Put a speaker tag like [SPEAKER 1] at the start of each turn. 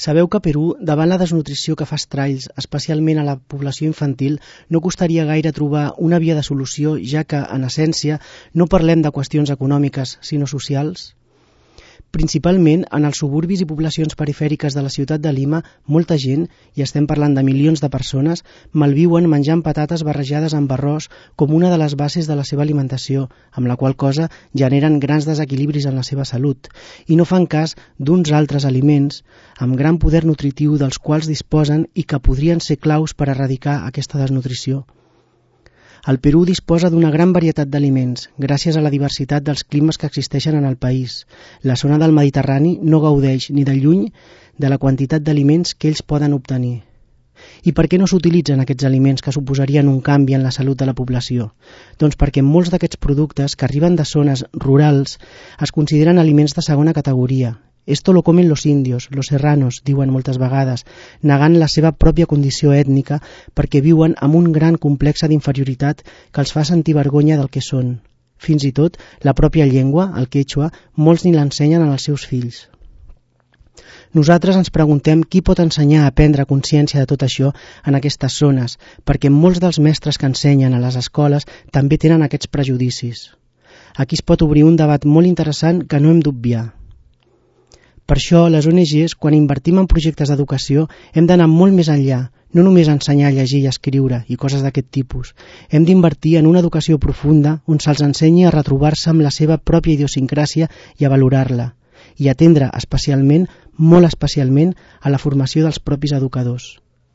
[SPEAKER 1] Sabeu que a Perú, davant la desnutrició que fa estralls, especialment a la població infantil, no costaria gaire trobar una via de solució, ja que, en essència, no parlem de qüestions econòmiques, sinó socials? Principalment, en els suburbis i poblacions perifèriques de la ciutat de Lima, molta gent, i estem parlant de milions de persones, malviuen menjant patates barrejades amb arròs com una de les bases de la seva alimentació, amb la qual cosa generen grans desequilibris en la seva salut, i no fan cas d'uns altres aliments amb gran poder nutritiu dels quals disposen i que podrien ser claus per erradicar aquesta desnutrició. El Perú disposa d'una gran varietat d'aliments, gràcies a la diversitat dels climes que existeixen en el país. La zona del Mediterrani no gaudeix ni de lluny de la quantitat d'aliments que ells poden obtenir. I per què no s'utilitzen aquests aliments que suposarien un canvi en la salut de la població? Doncs perquè molts d'aquests productes que arriben de zones rurals es consideren aliments de segona categoria. Esto lo comen los indios, los serranos, diuen moltes vegades, negant la seva pròpia condició ètnica perquè viuen amb un gran complex d'inferioritat que els fa sentir vergonya del que són. Fins i tot, la pròpia llengua, el quechua, molts ni l'ensenyen als seus fills. Nosaltres ens preguntem qui pot ensenyar a prendre consciència de tot això en aquestes zones, perquè molts dels mestres que ensenyen a les escoles també tenen aquests prejudicis. Aquí es pot obrir un debat molt interessant que no hem d'obviar. Per això, les ONGs, quan invertim en projectes d'educació, hem d'anar molt més enllà, no només ensenyar a llegir i escriure i coses d'aquest tipus. Hem d'invertir en una educació profunda on se'ls ensenyi a retrobar-se amb la seva pròpia idiosincràsia i a valorar-la, i atendre especialment, molt especialment, a la formació dels propis educadors.